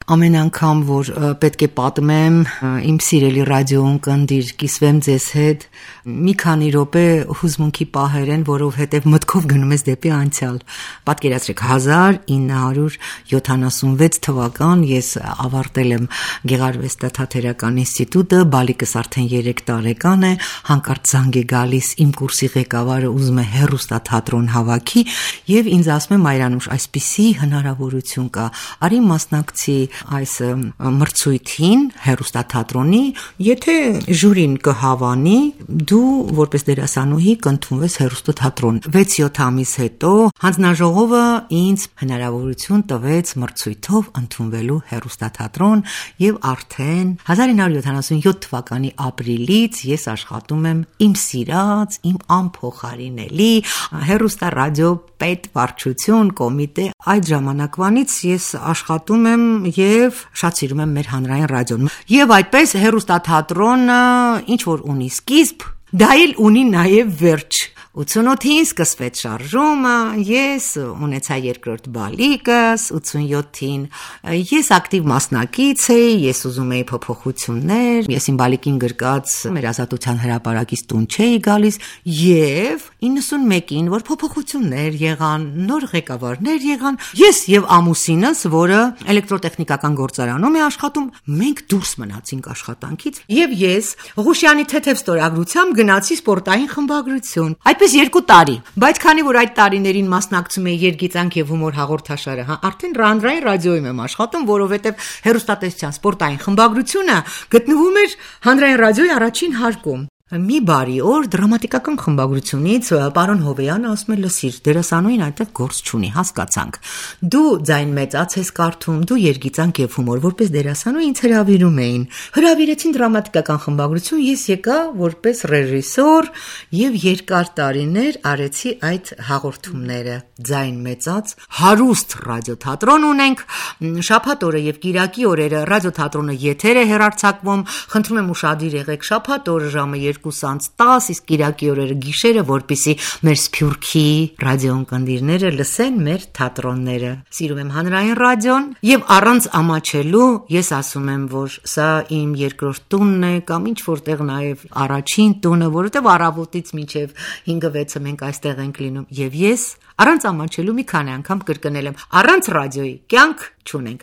Ամեն անգամ, որ պետք է պատմեմ իմ սիրելի ռադիոընկերներ, կիսվեմ ձեզ հետ, մի քանի րոպե հուզմունքի պահեր են, որովհետև մտքով գնում ես դեպի անցյալ։ Պատկերացրեք 1976 թվական ես ավարտել եմ Գեղարվեստաթատերական ինստիտուտը, բալիկս արդեն 3 տարեկան է, հանկարծ զանգ է գալիս, իմ կուրսի ղեկավարը ուզում է հեռուստաթատրոն հավաքի եւ ինձ ասում է Մայրանուշ, այսպիսի հնարավորություն կա, արի մասնակցի այս մրցույթին հեռուստաթատրոնի, եթե ժյուրին կհավանի, դու որպես դերասանուհի կընդունվես հեռուստաթատրոն։ 6-7 ամիս հետո հանձնաժողովը ինձ հնարավորություն տվեց մրցույթով ընդունվելու հեռուստաթատրոն եւ արդեն 1977 թվականի ապրիլից ես աշխատում եմ իմ սիրած, իմ անփոխարինելի հեռուստարադիո պետվարչություն կոմիտե։ Այդ ժամանակվանից ես աշխատում եմ եւ շատ սիրում եմ մեր հանրային ռադիոն։ Եվ այդպես հեռուստաթատրոնը ինչ որ ունի սկիզբ, դա էլ ունի նաեւ վերջ։ 88-ին սկսվեց շարժումը, ես ունեցա երկրորդ բալիկս, 87-ին ես ակտիվ մասնակից էի, ես ուզում էի փոփոխություններ, ես իմ բալիկին գրկած մեր ազատության հրապարակից տուն չէի գալիս, եւ 91-ին, որ փոփոխություններ եղան, նոր ղեկավարներ եղան, ես եւ ամուսինս, որը էլեկտրոտեխնիկական գործարանում է աշխատում, մենք դուրս մնացինք աշխատանքից, եւ ես Ղուշյանի թեթև ստորագրությամբ գնացի սպորտային խմբագրություն։ Այդպես 2 տարի, բայց քանի որ այդ տարիներին մասնակցում էի երգիծանք եւ հումոր հաղորդաշարը, արդեն հանրային ռադիոյում եմ աշխատում, որովհետեւ հեռուստատեսության սպորտային խմբագրությունը գտնվում էր հանրային ռադիոյի առաջին հարկում։ Մի բարի օր դրամատիկական խմբագրությունից պարոն Հովեյանը ասում է լսիր, դերասանուհին այդտեղ գործ չունի, հասկացանք։ Դու ձայն մեծած ես կարդում, դու երգիծանք եւ հումոր, որպես դերասանուհի ինձ հրավիրում էին։ Հրավիրեցին դրամատիկական խմբագրություն, ես եկա որպես ռեժիսոր եւ երկար տարիներ արեցի այդ հաղորդումները։ Ձայն մեծած հարուստ ռադիոթատրոն ունենք, շաբաթ օրը եւ կիրակի օրերը ռադիոթատրոնը եթեր է հեռարձակվում, խնդրում եմ ուշադիր եղեք շաբաթ օրը ժամը 2:10, իսկ կիրակի օրերը գիշերը, որպեսզի մեր Սփյուռքի ռադիոընկերները լսեն մեր թատրոնները։ Սիրում եմ հանրային ռադիոն եւ առանց ամաչելու ես ասում եմ, որ սա իմ երկրորդ տունն է կամ ինչ որտեղ նաեւ առաջին տունը, որովհետեւ առավոտից մինչեւ 5-6-ը մենք այստեղ ենք լինում եւ ես առանց ամաչելու մի քանի անգամ կրկնել եմ, առանց ռադիոյի կյանք չունենք։